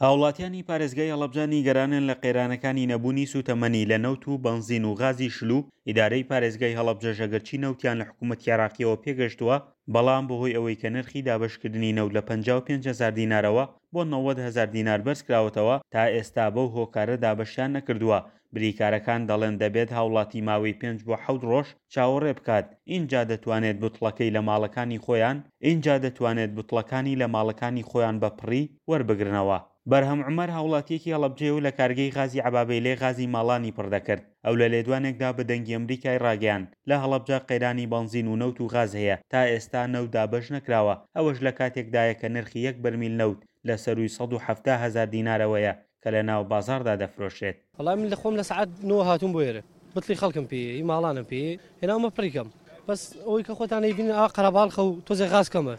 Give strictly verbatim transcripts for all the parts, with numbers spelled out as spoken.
هاوڵاتیانی پارێزگای هەڵەبجە نیگەرانن لە قەیرانەکانی نەبوونی سوتەمەنی لە نەوت و بەنزین و غازی شل و ئیدارەی پارێزگای هەڵەبجەش ئەگەرچی نەوتیان لە حکوومەتی عێراقیەوە پێگەشتووە، بەڵام بەهۆی ئەوەی کە نرخی دابەشکردنی نەوت لە پەنجا و پێنج هەزار دینارەوە بۆ نەوەد هەزار دینار بەرزکراوەتەوە، تا ئێستا بەو هۆکارە دابەشیان نەکردووە. بریکارەکان دەڵێن دەبێت هاوڵاتی ماوەی پێنج بۆ حەوت ڕۆژ چاوەڕێ بکات ئینجا دەتوانێت بوتڵەکەی لە ماڵەکانی خۆیان ئینجا دەتوانێت بوتڵەکانی لە ماڵەکانی خۆیان بە پڕی وەربگرنەوە. بەرهەم عومەر هاوڵاتییەکی هەڵەبجەیە و لە کارگەی غازی عەبابەیلێ غازی ماڵانی پڕ دەکرد. ئەو لە لێدوانێکدا بە دەنگی ئەمریکای ڕاگەیاند، لە هەڵەبجە قەیرانی بەنزین و نەوت و غاز هەیە، تا ئێستا نەوت دابەش نەکراوە، ئەوەش لە کاتێکدایە کە نرخی یەک بەرمیل نەوت لە سەرووی سەد و حەفتا هەزار دینارەوەیە کە لە ناو بازاڕدا دەفرۆشرێت. وەڵای من لە خۆم لە سەعات نۆ هاتووم بۆ ئێرە، بتڵی خەڵکم پێیە، هی ماڵانم پێیە، هێناومە پڕی کەم، بەس ئەوەی کە خۆتان ئەیبینن ئاوا قەرەباڵخە و تۆزێ غاز کەمە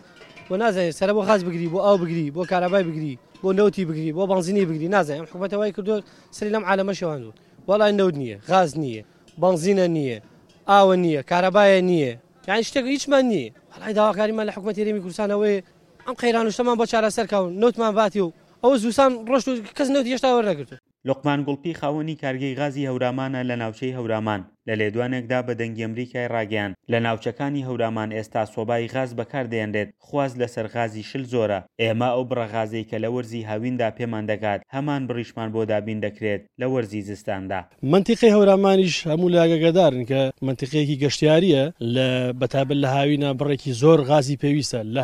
و نازانین سەرە بۆ غاز بگری، بۆ ئاو بگری، بۆ کارەبای بگری، بۆ نەوتی بگری، بۆ بەنزینی بگری، نازانین ئەم حکومەتە وای کردووە سەری لەم عالەمە شێواندووە. وەڵای نەوت نییە، غاز نییە، بەنزینە نییە، ئاوە نییە، کارەبایە نییە، یانی شتێک هیچمان نییە. وەڵای داواکاریمان لە حکومەتی هەرێمی کوردستان ئەوەیە ئەم قەیران و شتەمان بۆ چارەسەر کا و نەوتمان باتی و ئەوە زووسان ڕۆشت و کەس نەوتی هێشتا وەرنەگرتووە. لوقمان گوڵپی خاوەنی کارگەی غازی هەورامانە لە ناوچەی هەورامان، لە لێدوانێکدا بە دەنگی ئەمریکای ڕاگەیاند، لە ناوچەکانی هەورامان ئێستا سۆبای غاز بەکاردەهێنرێت، خواست لەسەر غازی شل زۆرە، ئێمە ئەو بڕە غازەی کە لە وەرزی هاویندا پێمان دەگات، هەمان بڕیشمان بۆ دابین دەکرێت لە وەرزی زستاندا. مەنتیقەی هەورامانیش هەموو لایەک ئاگادارن کە مەنتیقەیەکی گەشتیارییە، لە بەتایبەت لە هاوینا بڕێکی زۆر غازی پێویستە، لە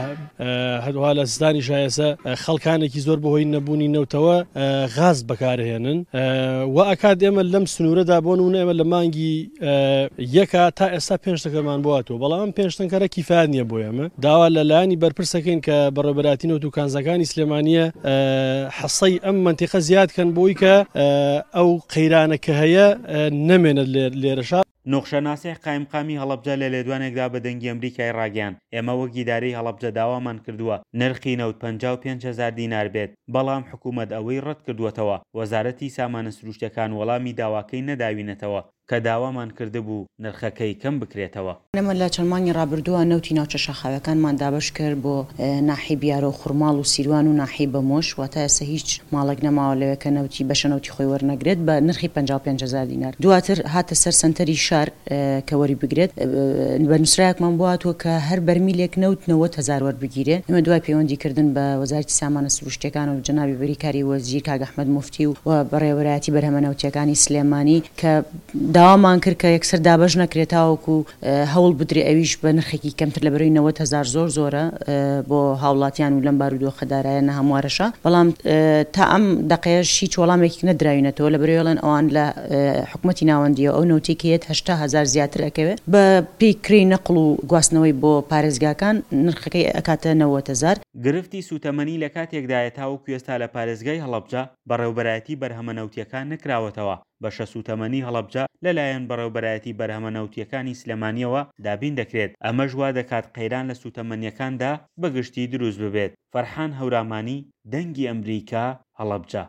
هەروەها لە زستانیشا ئێستا خەڵکانێکی زۆر بەهۆی نەبوونی نەوتەوە غاز بەکارهێنن و ئەکات ئێمە لەم سنوورەدا بۆ نموونە ئێمە لە مانگی یەکا تا ئێستا پێنج تەنکەرمان بۆ هاتووە، بەڵام ئەم پێنج تەنکەرە کیفایەت نییە بۆ ئێمە. داوا لە لایەنی بەرپرسەکەین کە بەڕێوەبەرایەتی نەوت و کانزاکانی سلێمانیە حەسەی ئەم مەنتیقە زیاد کەن بۆی کە ئەو قەیرانە کە هەیە نەمێنێت لێرەشا. نوخشە ناسیح قایمقامی هەڵەبجە لە لێدوانێکدا بە دەنگی ئەمریکای ڕاگەیاند، ئێمە وەک ئیدارەی هەڵەبجە داوامان کردووە نرخی نەوت پەنجا و پێنج هەزار دینار بێت، بەڵام حکومەت ئەوەی ڕەتکردووەتەوە، وەزارەتی سامانە سروشتیەکان وەڵامی داواکەی نەداوینەتەوە کە داوامان کردبوو نرخەکەی کەم بکرێتەوە. ئێمە لە چەند مانگی ڕابردووە نەوتی ناوچە شاخاویەکانمان دابەش کرد بۆ ناحیەی بیارە و خورماڵ و سیروان و ناحیەی بەمۆش، واتە ئێستا هیچ ماڵێک نەماوە لەوێ کە نەوتی بەشە نەوتی خۆی وەرنەگرێت بە نرخی پەنجا و پێنج هەزار دینار. دواتر هاتە سەر سەنتەری شار کە وەری بگرێت، بە نووسراوێکمان بۆ هاتووە کە هەر بەرمیلێک نەوت نەوەد هەزار وەربگیرێ. ئێمە دوای پەیوەندی کردن بە وەزارەتی سامانە سروشتیەکان و جەنابی بریکاری وەزیر کاک ئەحمەد موفتی و بەڕێوەبەرایەتی بەرهەمە نەوتیەکانی سلێمانی کە داوامان کرد کە یەکسەر دابەش نەکرێت تاوەکو هەوڵ بدرێ ئەویش بە نرخێکی کەمتر لە بەرەی نەوەد هەزار زۆر زۆرە بۆ هاوڵاتیان و لەم بارودۆخە دارایە ناهەموارەشە، بەڵام تا ئەم دەقەیەش هیچ وەڵامێک نەدراوینەتەوە لە بەرەی ئەوان لە حکومەتی ناوەندیەوە ئەو نەوتەی کە یەت هەشتا هەزار زیاتر ئەکەوێ بە پێی کرێی نەقڵ و گواستنەوەی بۆ پارێزگاکان نرخەکەی ئەکاتە نەوەد هەزار. گرفتی سوتەمەنی لە کاتێکدایە تاوەکو ئێستا لە پارێزگای هەڵەبجە بەڕێوبەرایەتی بەرهەمە نەوتیەکان نەکراوەتەوە، بەشە سوتەمەنی هەڵەبجە لەلایەن بەڕێوبەرایەتی بەرهەمە نەوتیەکانی سلێمانیەوە دابین دەکرێت، ئەمەش وا دەکات قەیران لە سوتەمەنیەکاندا بەگشتی دروست ببێت. فەرحان هەورامانی، دەنگی ئەمریکا، هەڵەبجە.